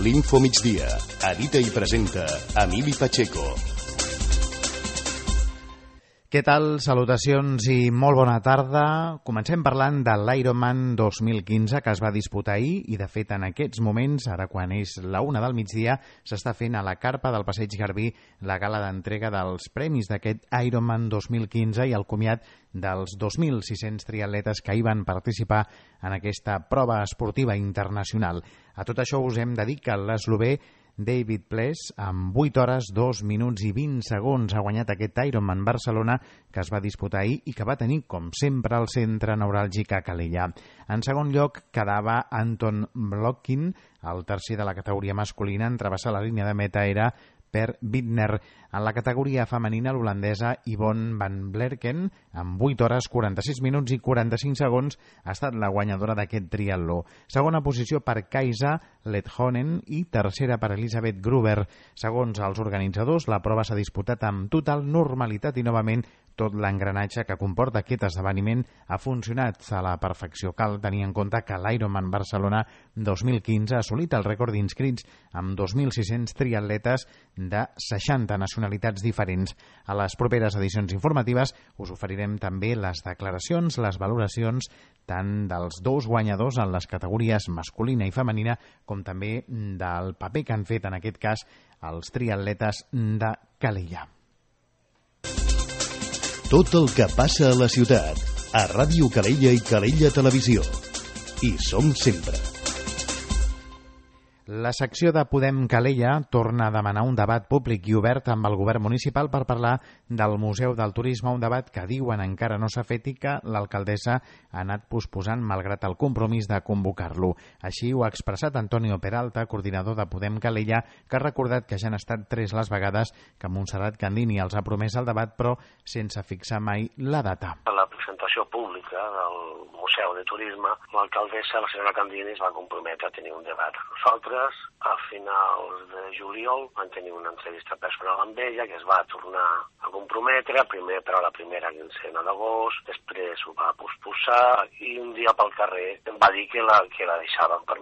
l'Info Migdia. Edita i presenta Emili Pacheco. Què tal? Salutacions i molt bona tarda. Comencem parlant de l'Ironman 2015 que es va disputar ahir i, de fet, en aquests moments, ara quan és la 1 del migdia, s'està fent a la carpa del Passeig Garbí la gala d'entrega dels premis d'aquest Ironman 2015 i el comiat dels 2.600 triatletes que hi van participar en aquesta prova esportiva internacional. A tot això us hem de dir que l'eslovè David Ples, amb 8 hores, 2 minuts i 20 segons, ha guanyat aquest Ironman Barcelona que es va disputar ahir i que va tenir, com sempre, el centre neuràlgic a Calella. En segon lloc quedava Anton Blokhin, el tercer de la categoria masculina. En travessar la línia de meta era Per Bittner. En la categoria femenina, l'holandesa Yvonne van Blerken, amb 8 hores, 46 minuts i 45 segons, ha estat la guanyadora d'aquest triatló. Segona posició per Kaisa Lethonen i tercera per Elisabeth Gruber. Segons els organitzadors, la prova s'ha disputat amb total normalitat i, novament, tot l'engranatge que comporta aquest esdeveniment ha funcionat a la perfecció. Cal tenir en compte que l'Ironman Barcelona 2015 ha assolit el rècord d'inscrits amb 2.600 triatletes de 60 nacionalitats diferents. A les properes edicions informatives us oferirem també les declaracions, les valoracions tant dels dos guanyadors en les categories masculina i femenina com també del paper que han fet en aquest cas els triatletes de Calella. Tot el que passa a la ciutat, a Ràdio Calella i Calella Televisió. Hi som sempre. La secció de Podem Calella torna a demanar un debat públic i obert amb el govern municipal per parlar del Museu del Turisme, un debat que diuen encara no s'ha fet i que l'alcaldessa ha anat posposant malgrat el compromís de convocar-lo. Així ho ha expressat Antonio Peralta, coordinador de Podem Calella, que ha recordat que ja han estat 3 les vegades que Montserrat Candini els ha promès el debat, però sense fixar mai la data. A la presentació pública del Museu de Turisme, l'alcaldessa, la senyora Candini, es va comprometre a tenir un debat. Nosaltres, a finals de juliol, vam tenir una entrevista personal amb ella, que es va tornar a comprometre, primer per a la primera quincena d'agost, després ho va posposar i un dia pel carrer em va dir que la deixaven per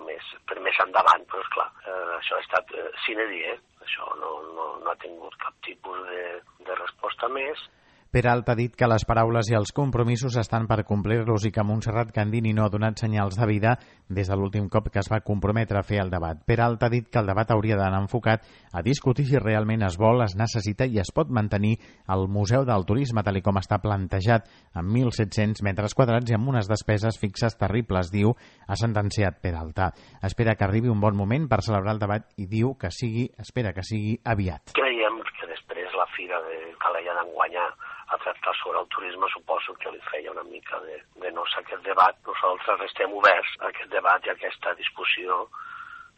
més endavant, però esclar, això ha estat sine die, això no ha tingut cap tipus de resposta més. Peralta ha dit que les paraules i els compromisos estan per complir-los i que Montserrat Candini no ha donat senyals de vida des de l'últim cop que es va comprometre a fer el debat. Peralta ha dit que el debat hauria d'anar enfocat a discutir si realment es vol, es necessita i es pot mantenir el Museu del Turisme tal com està plantejat amb 1.700 metres quadrats i amb unes despeses fixes terribles, diu, ha sentenciat Peralta. Espera que arribi un bon moment per celebrar el debat i diu que espera que sigui aviat. Creiem que després la Fira de Calella d'enguanyar a tractar sobre el turisme, suposo que li feia una mica de no ser aquest debat. Nosaltres estem oberts a aquest debat i a aquesta discussió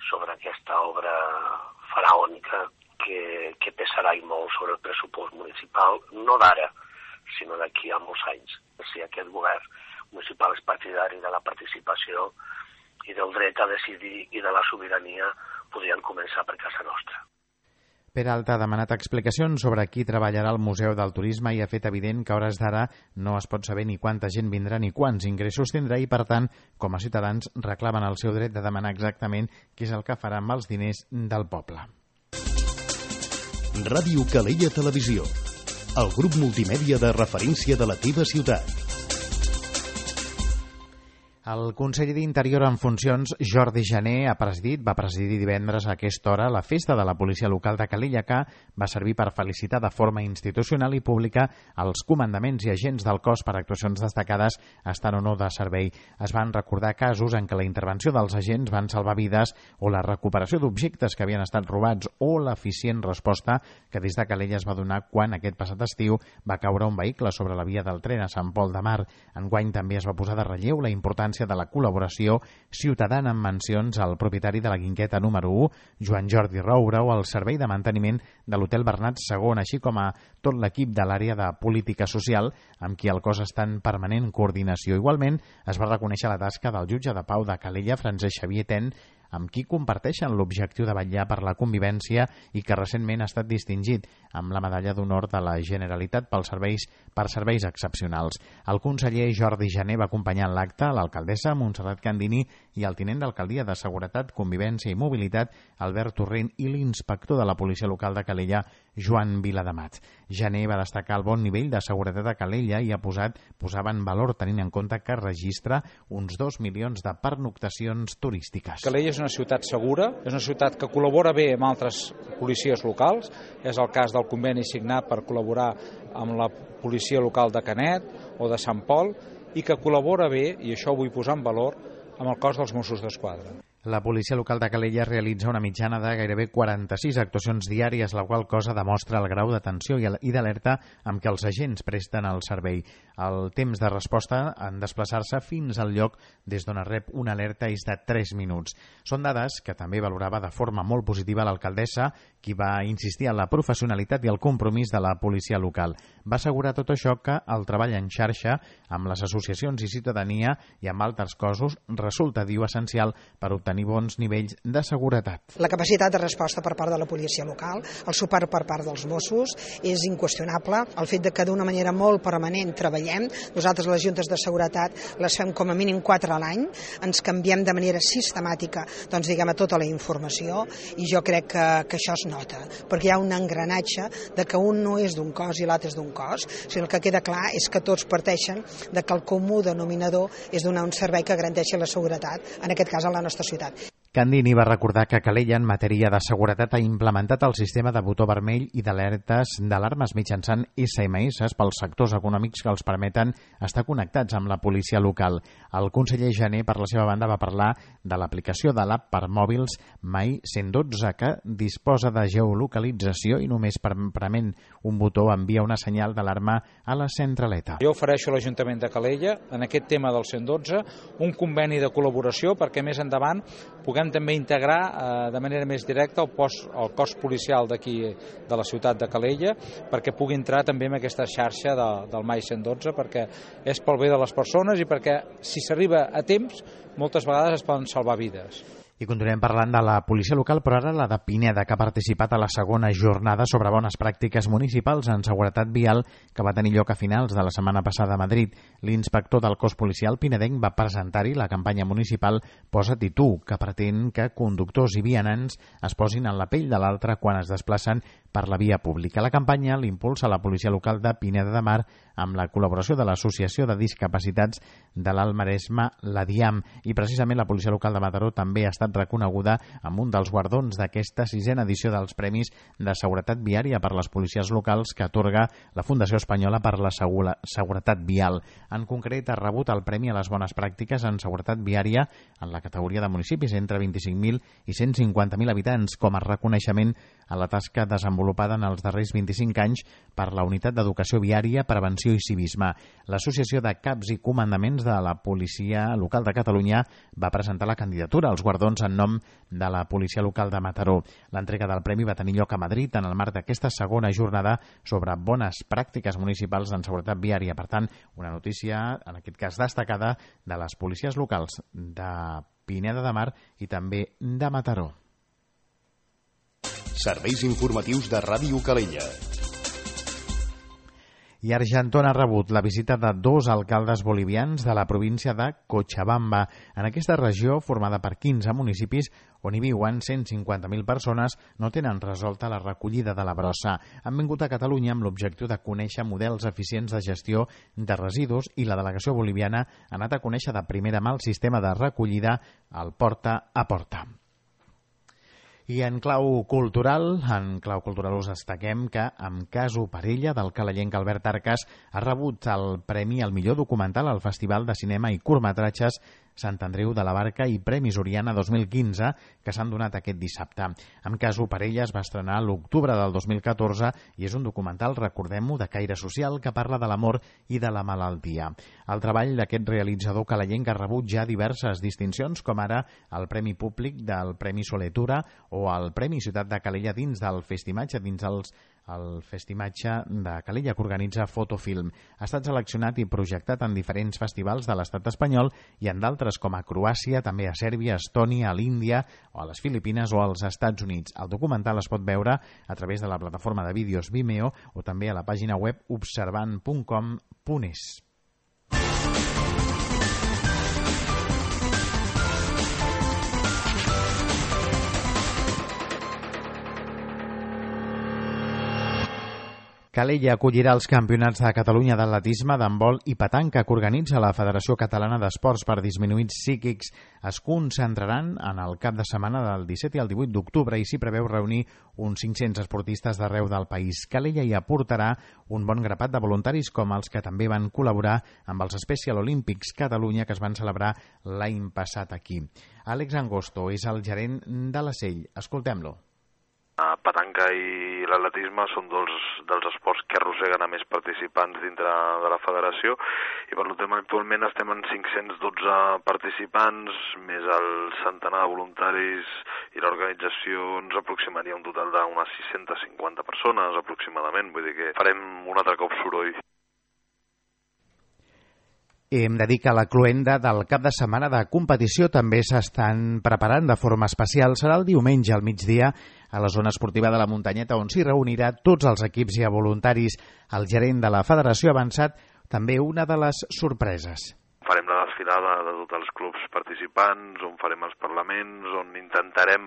sobre aquesta obra faraònica que pesarà i molt sobre el pressupost municipal, no d'ara, sinó d'aquí a molts anys. Si aquest govern municipal és partidari de la participació i del dret a decidir i de la sobirania, podrien començar per casa nostra. Peralta ha demanat explicacions sobre qui treballarà al Museu del Turisme i ha fet evident que a hores d'ara no es pot saber ni quanta gent vindrà ni quants ingressos tindrà i, per tant, com a ciutadans reclamen el seu dret de demanar exactament què és el que farà amb els diners del poble. Ràdio Calella Televisió, el grup multimèdia de referència de la teva ciutat. El conseller d'Interior en funcions, Jordi Jané, va presidir divendres a aquesta hora la festa de la policia local de Calella, que va servir per felicitar de forma institucional i pública els comandaments i agents del cos per actuacions destacades, estant o no de servei. Es van recordar casos en què la intervenció dels agents van salvar vides o la recuperació d'objectes que havien estat robats o l'eficient resposta que des de Calella es va donar quan aquest passat estiu va caure un vehicle sobre la via del tren a Sant Pol de Mar. Enguany també es va posar de relleu la importància de la col·laboració ciutadana amb mencions al propietari de la Guingueta número 1, Joan Jordi Roura, o al servei de manteniment de l'Hotel Bernat II, així com a tot l'equip de l'àrea de política social, amb qui el cos està en permanent coordinació. Igualment, es va reconèixer la tasca del jutge de pau de Calella, Francesc Xavier Ten, amb qui comparteixen l'objectiu de vetllar per la convivència i que recentment ha estat distingit amb la medalla d'honor de la Generalitat per serveis excepcionals. El conseller Jordi Jané va acompanyar en l'acte l'alcaldessa Montserrat Candini i el tinent d'alcaldia de Seguretat, Convivència i Mobilitat, Albert Torrent, i l'inspector de la policia local de Calella, Joan Vilademat. Jané va destacar el bon nivell de seguretat a Calella i posava en valor tenint en compte que registra uns 2 milions de pernoctacions turístiques. Calella és una ciutat segura, és una ciutat que col·labora bé amb altres policies locals, és el cas del conveni signat per col·laborar amb la policia local de Canet o de Sant Pol, i que col·labora bé, i això ho vull posar en valor, amb el cos dels Mossos d'Esquadra. La policia local de Calella realitza una mitjana de gairebé 46 actuacions diàries, la qual cosa demostra el grau d'atenció i d'alerta amb què els agents presten el servei. El temps de resposta en desplaçar-se fins al lloc des d'on es rep una alerta és de 3 minuts. Són dades que també valorava de forma molt positiva l'alcaldessa, qui va insistir en la professionalitat i el compromís de la policia local. Va assegurar tot això que el treball en xarxa amb les associacions i ciutadania i amb altres cossos resulta, diu, essencial per obtenir bons nivells de seguretat. La capacitat de resposta per part de la policia local, el suport per part dels Mossos, és inqüestionable. El fet de que d'una manera molt permanent treballem, nosaltres les juntes de seguretat les fem com a mínim 4 a l'any, ens canviem de manera sistemàtica a tota la informació, i jo crec que això es nota, perquè hi ha un engranatge de que un no és d'un cos i l'altre és d'un cos, sinó el que queda clar és que tots parteixen de que el comú denominador és donar un servei que garanteixi la seguretat, en aquest cas a la nostra ciutat. Candini va recordar que Calella en matèria de seguretat ha implementat el sistema de botó vermell i d'alarmes mitjançant SMS pels sectors econòmics que els permeten estar connectats amb la policia local. El conseller Jané, per la seva banda, va parlar de l'aplicació de l'app per mòbils My 112, que disposa de geolocalització i només prement un botó envia una senyal d'alarma a la centraleta. Jo ofereixo a l'Ajuntament de Calella, en aquest tema del 112, un conveni de col·laboració perquè més endavant puguem també integrar de manera més directa el cos policial d'aquí de la ciutat de Calella, perquè pugui entrar també en aquesta xarxa del My 112, perquè és pel bé de les persones i perquè si s'arriba a temps moltes vegades es poden salvar vides. I continuem parlant de la policia local, però ara la de Pineda, que ha participat a la segona jornada sobre bones pràctiques municipals en seguretat vial que va tenir lloc a finals de la setmana passada a Madrid. L'inspector del cos policial pinedenc va presentar-hi la campanya municipal Posa't i tu, que pretén que conductors i vianants es posin en la pell de l'altre quan es desplacen per la via pública. La campanya l'impulsa la policia local de Pineda de Mar amb la col·laboració de l'Associació de Discapacitats de l'Alt Maresme, la DIAM, i precisament la policia local de Mataró també ha estat reconeguda amb un dels guardons d'aquesta 6a edició dels Premis de Seguretat Viària per les policies locals que atorga la Fundació Espanyola per la Seguretat Vial. En concret, ha rebut el Premi a les Bones Pràctiques en Seguretat Viària en la categoria de municipis entre 25.000 i 150.000 habitants com a reconeixement a la tasca desenvolupada en els darrers 25 anys per la Unitat d'Educació Viària, Prevenció i Civisme. L'Associació de Caps i Comandaments de la Policia Local de Catalunya va presentar la candidatura als guardons en nom de la Policia Local de Mataró. L'entrega del premi va tenir lloc a Madrid en el marc d'aquesta segona jornada sobre bones pràctiques municipals en seguretat viària. Per tant, una notícia, en aquest cas destacada, de les policies locals de Pineda de Mar i també de Mataró. Serveis informatius de Ràdio Calella. I Argentona ha rebut la visita de 2 alcaldes bolivians de la província de Cochabamba. En aquesta regió, formada per 15 municipis on hi viuen 150.000 persones, no tenen resolta la recollida de la brossa. Han vingut a Catalunya amb l'objectiu de conèixer models eficients de gestió de residus i la delegació boliviana ha anat a conèixer de primera mà el sistema de recollida al porta a porta. I en clau cultural us destaquem que amb Caso Parella, del calellenc Albert Arcas, ha rebut el premi al millor documental al Festival de Cinema i Curtmetratges Sant Andreu de la Barca i Premis Oriana 2015, que s'han donat aquest dissabte. Amb Caso Parella es va estrenar a l'octubre del 2014 i és un documental, recordem-ho, de caire social que parla de l'amor i de la malaltia. El treball d'aquest realitzador calellenc ha rebut ja diverses distincions, com ara el Premi Públic del Premi Soletura o el Premi Ciutat de Calella dins del Festimatge, dins el Festimatge de Calella, que organitza Fotofilm. Ha estat seleccionat i projectat en diferents festivals de l'estat espanyol i en d'altres com a Croàcia, també a Sèrbia, a Estònia, a l'Índia, o a les Filipines o als Estats Units. El documental es pot veure a través de la plataforma de vídeos Vimeo o també a la pàgina web observant.com.es. Calella acollirà els campionats de Catalunya d'atletisme, d'handbol i petanca que organitza la Federació Catalana d'Esports per Disminuïts Psíquics. Es concentraran en el cap de setmana del 17 i el 18 d'octubre i s'hi preveu reunir uns 500 esportistes d'arreu del país. Calella hi aportarà un bon grapat de voluntaris com els que també van col·laborar amb els Special Olympics Catalunya que es van celebrar l'any passat aquí. Àlex Angosto és el gerent de la SEIL. Escoltem-lo. Petanca i l'atletisme són dels esports que arrosseguen a més participants dintre de la federació i per tant actualment estem en 512 participants més el centenar de voluntaris i l'organització ens aproximaria un total d'unes 650 persones aproximadament, vull dir que farem un altre cop soroll. Hem de dir que la cloenda del cap de setmana de competició també s'estan preparant de forma especial. Serà el diumenge al migdia a la zona esportiva de la Muntanyeta, on s'hi reunirà tots els equips i voluntaris. El gerent de la federació ha avançat també una de les sorpreses. Farem la desfilada de tots els clubs participants, on farem els parlaments, on intentarem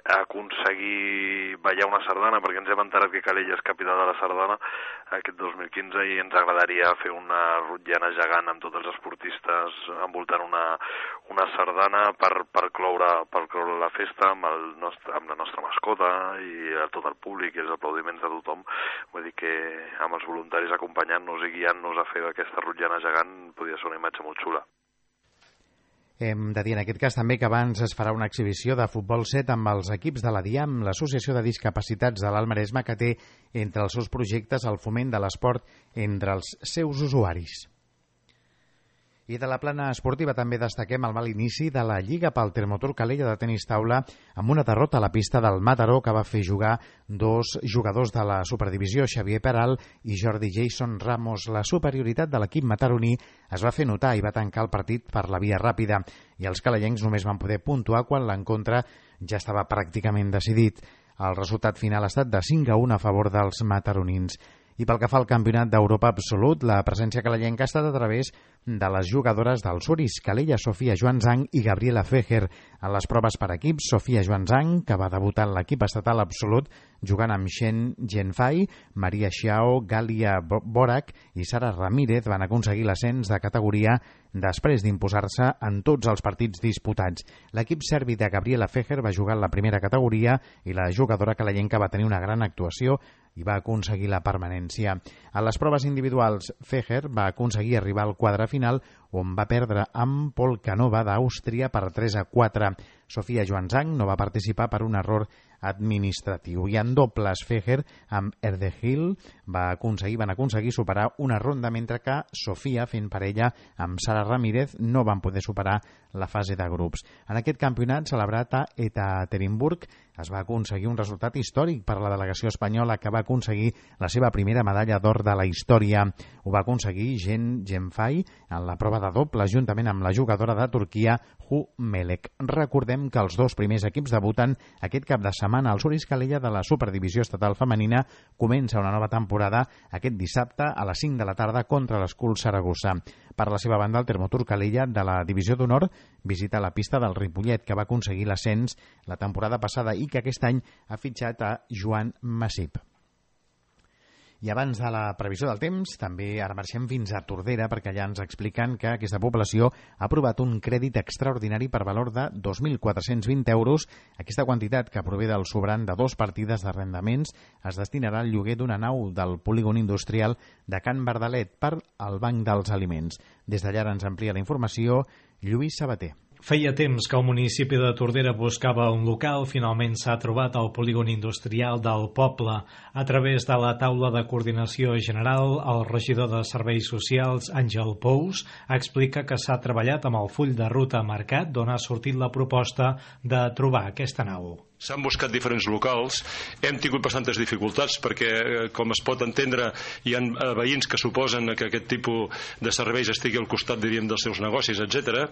aconseguir ballar una sardana, perquè ens hem enterat que Calella és capital de la sardana aquest 2015 i ens agradaria fer una rotllana gegant amb tots els esportistes envoltant una sardana per cloure la festa amb la nostra mascota i a tot el públic i els aplaudiments de tothom. Vull dir que amb els voluntaris acompanyant-nos i guiant-nos a fer aquesta rotllana gegant podria ser una imatge molt xula. Hem de dir en aquest cas també que abans es farà una exhibició de futbol 7 amb els equips de la DIAM, l'Associació de Discapacitats de l'Alt Maresme, que té entre els seus projectes el foment de l'esport entre els seus usuaris. I de la plana esportiva també destaquem el mal inici de la Lliga pel Termotur Calella de tenis taula amb una derrota a la pista del Mataró que va fer jugar dos jugadors de la Superdivisió, Xavier Peral i Jordi Jason Ramos. La superioritat de l'equip mataroní es va fer notar i va tancar el partit per la via ràpida i els calellencs només van poder puntuar quan l'encontre ja estava pràcticament decidit. El resultat final ha estat de 5-1 a favor dels mataronins. I pel que fa al Campionat d'Europa absolut, la presència calellenca ha estat a través de les jugadores del Suris, Calella, Sofia Joanzang i Gabriela Fejer. En les proves per equips, Sofia Joanzang, que va debutar en l'equip estatal absolut, jugant amb Shen Genfai, Maria Xiao, Galia Borac i Sara Ramírez van aconseguir l'ascens de categoria després d'imposar-se en tots els partits disputats. L'equip serbi de Gabriela Fejer va jugar en la primera categoria i la jugadora calellenca va tenir una gran actuació i va aconseguir la permanència. A les proves individuals, Fejer va aconseguir arribar al quadre final, on va perdre amb Polkanova d'Àustria per 3-4. Sofia Joanzang no va participar per un error administratiu. I en dobles, Fejer amb Erdegil van aconseguir superar una ronda, mentre que Sofia, fent parella amb Sara Ramírez, no van poder superar la fase de grups. En aquest campionat, celebrat a Ekaterinburg, es va aconseguir un resultat històric per la delegació espanyola, que va aconseguir la seva primera medalla d'or de la història. Ho va aconseguir Shen Genfai en la prova de doble, juntament amb la jugadora de Turquia, Hu Melek. Recordem que els dos primers equips debuten aquest cap de setmana. El Suris Calella de la Superdivisió Estatal Femenina comença una nova temporada aquest dissabte a les 5 de la tarda contra l'Escul Saragossa. Per la seva banda, el Termotur Calella de la Divisió d'Honor visita la pista del Ripollet, que va aconseguir l'ascens la temporada passada i que aquest any ha fitxat a Joan Massip. I abans de la previsió del temps, també ara marxem fins a Tordera, perquè allà ens expliquen que aquesta població ha aprovat un crèdit extraordinari per valor de 2.420 euros. Aquesta quantitat, que prové del sobrant de 2 partides d'arrendaments, es destinarà al lloguer d'una nau del polígon industrial de Can Verdalet per al Banc dels Aliments. Des d'allà ens amplia la informació Lluís Sabater. Feia temps que el municipi de Tordera buscava un local. Finalment s'ha trobat al polígon industrial del poble. A través de la taula de coordinació general, el regidor de Serveis Socials, Àngel Pous, explica que s'ha treballat amb el full de ruta marcat d'on ha sortit la proposta de trobar aquesta nau. S'han buscat diferents locals, hem tingut bastantes dificultats perquè, com es pot entendre, hi ha veïns que suposen que aquest tipus de serveis estigui al costat, diríem, dels seus negocis, etc.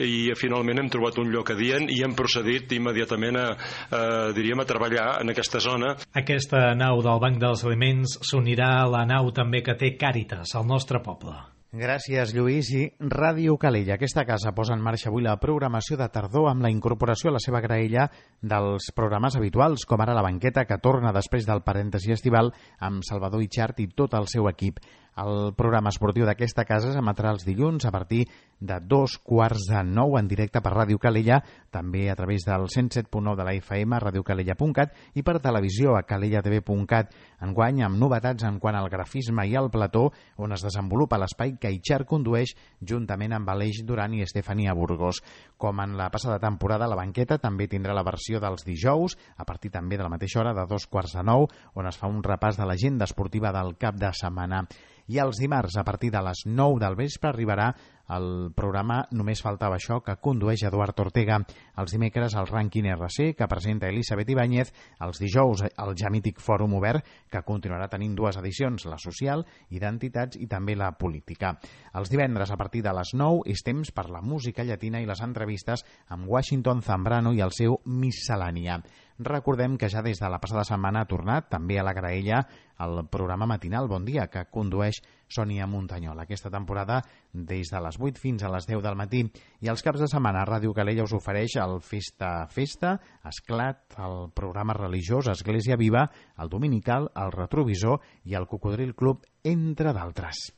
I finalment hem trobat un lloc adient i hem procedit immediatament a treballar en aquesta zona. Aquesta nau del Banc dels Aliments s'unirà a la nau també que té Càritas al nostre poble. Gràcies, Lluís. I Ràdio Calella. Aquesta casa posa en marxa avui la programació de tardor amb la incorporació a la seva graella dels programes habituals, com ara La Banqueta, que torna després del parèntesi estival amb Salvador Itxart i tot el seu equip. El programa esportiu d'aquesta casa s'emetrà els dilluns a partir de 8:45 en directe per Ràdio Calella, també a través del 107.9 de la FM, radiocalella.cat i per televisió a calellatv.cat. Enguany amb novetats en quant al grafisme i al plató, on es desenvolupa l'espai que Itxart condueix juntament amb Aleix Duran i Estefania Burgos. Com en la passada temporada, La Banqueta també tindrà la versió dels dijous, a partir també de la mateixa hora de 8:45, on es fa un repàs de l'agenda esportiva del cap de setmana. I els dimarts, a partir de les 9 del vespre, arribarà el programa Només faltava això, que condueix Eduard Ortega. Els dimecres, el Rànquing RC, que presenta Elisabet Ibáñez. Els dijous, el ja mític Fòrum Obert, que continuarà tenint dues edicions, la social, identitats i també la política. Els divendres, a partir de les 9, és temps per la música llatina i les entrevistes amb Washington Zambrano i el seu Miscel·lània. Recordem que ja des de la passada setmana ha tornat també a la graella el programa matinal Bon Dia, que condueix Sònia Muntanyol. Aquesta temporada des de les 8 fins a les 10 del matí. I els caps de setmana Ràdio Calella us ofereix el Festa, Esclat, el programa religiós Església Viva, el Dominical, el Retrovisor i el Cocodril Club, entre d'altres.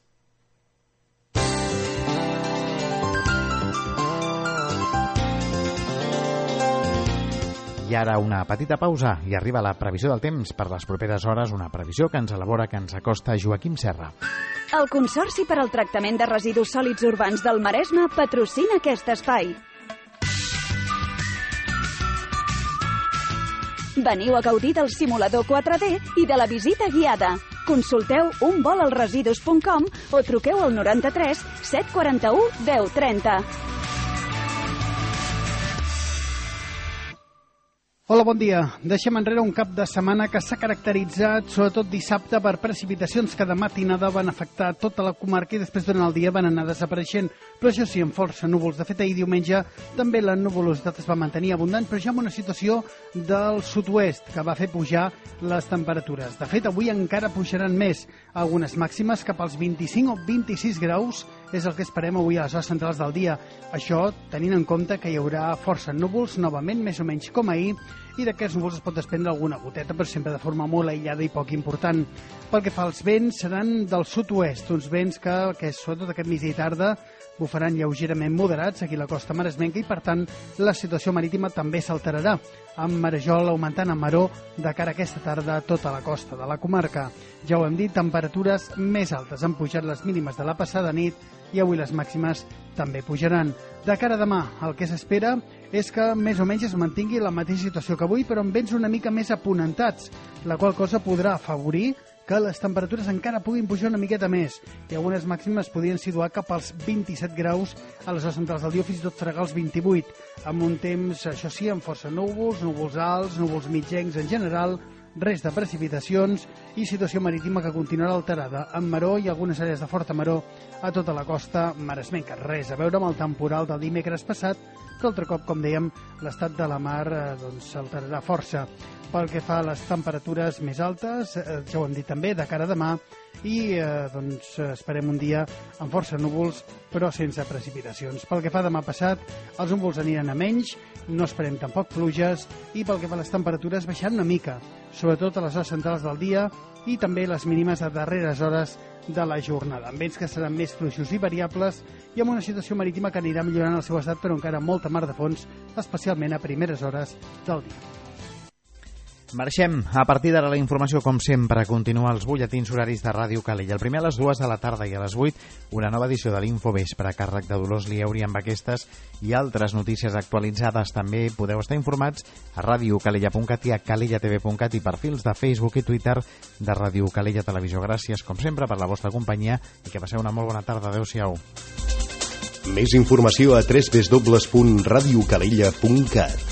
I ara una petita pausa i arriba la previsió del temps per les properes hores, una previsió que ens elabora, que ens acosta Joaquim Serra. El Consorci per al Tractament de Residus Sòlids Urbans del Maresme patrocina aquest espai. Veniu a gaudir del simulador 4D i de la visita guiada. Consulteu unvolalresidus.com o truqueu al 93 741 1030. Hola, bon dia. Deixem enrere un cap de setmana que s'ha caracteritzat, sobretot dissabte, per precipitacions que de matinada van afectar tota la comarca i després durant el dia van anar desapareixent, però això sí, amb força núvols. De fet, ahir diumenge també la nuvolositat es va mantenir abundant, però ja amb una situació del sud-oest que va fer pujar les temperatures. De fet, avui encara pujaran més, algunes màximes cap als 25 o 26 graus, és el que esperem avui a les hores centrals del dia. Això tenint en compte que hi haurà força núvols, novament, més o menys com ahir, i d'aquests núvols es pot desprendre alguna goteta, però sempre de forma molt aïllada i poc important. Pel que fa als vents, seran del sud-oest, uns vents que sobretot aquest migdia i tarda bufaran lleugerament moderats aquí a la costa maresmenca i, per tant, la situació marítima també s'alterarà, amb marejol augmentant en maró de cara a aquesta tarda a tota la costa de la comarca. Ja ho hem dit, temperatures més altes. Han pujat les mínimes de la passada nit i avui les màximes també pujaran. De cara a demà, el que s'espera és que més o menys es mantingui la mateixa situació que avui, però amb vents una mica més aponentats, la qual cosa podrà afavorir que les temperatures encara puguin pujar una miqueta més i algunes màximes podrien situar cap als 27 graus a les hores centrals del dia, fins i tot fregar els 28, amb un temps, això sí, amb força núvols, núvols alts, núvols mitjencs en general, res de precipitacions i situació marítima que continuarà alterada, amb maró i algunes àrees de forta maró a tota la costa maresmenca. Res a veure amb el temporal del dimecres passat, que altre cop, com dèiem, l'estat de la mar s'alterarà força. Pel que fa a les temperatures més altes, ja ho hem dit també, de cara a demà, i esperem un dia amb força núvols, però sense precipitacions. Pel que fa a demà passat, els núvols aniran a menys, no esperem tampoc pluges, i pel que fa a les temperatures baixaran una mica, sobretot a les hores centrals del dia i també les mínimes a darreres hores de la jornada, amb vents que seran més fluixos i variables i amb una situació marítima que anirà millorant el seu estat, però encara molta mar de fons, especialment a primeres hores del dia. Marxem. A partir d'ara la informació, com sempre, continua als butlletins horaris de Ràdio Calella. El primer a les 2 de la tarda i a les 8, una nova edició de l'Infovespre a càrrec de Dolors Lieuri amb aquestes i altres notícies actualitzades. També podeu estar informats a radiocalella.cat i a calellatv.cat i perfils de Facebook i Twitter de Ràdio Calella Televisió. Gràcies, com sempre, per la vostra companyia i que passeu una molt bona tarda. Adéu-siau. Més informació a www.radiocalella.cat.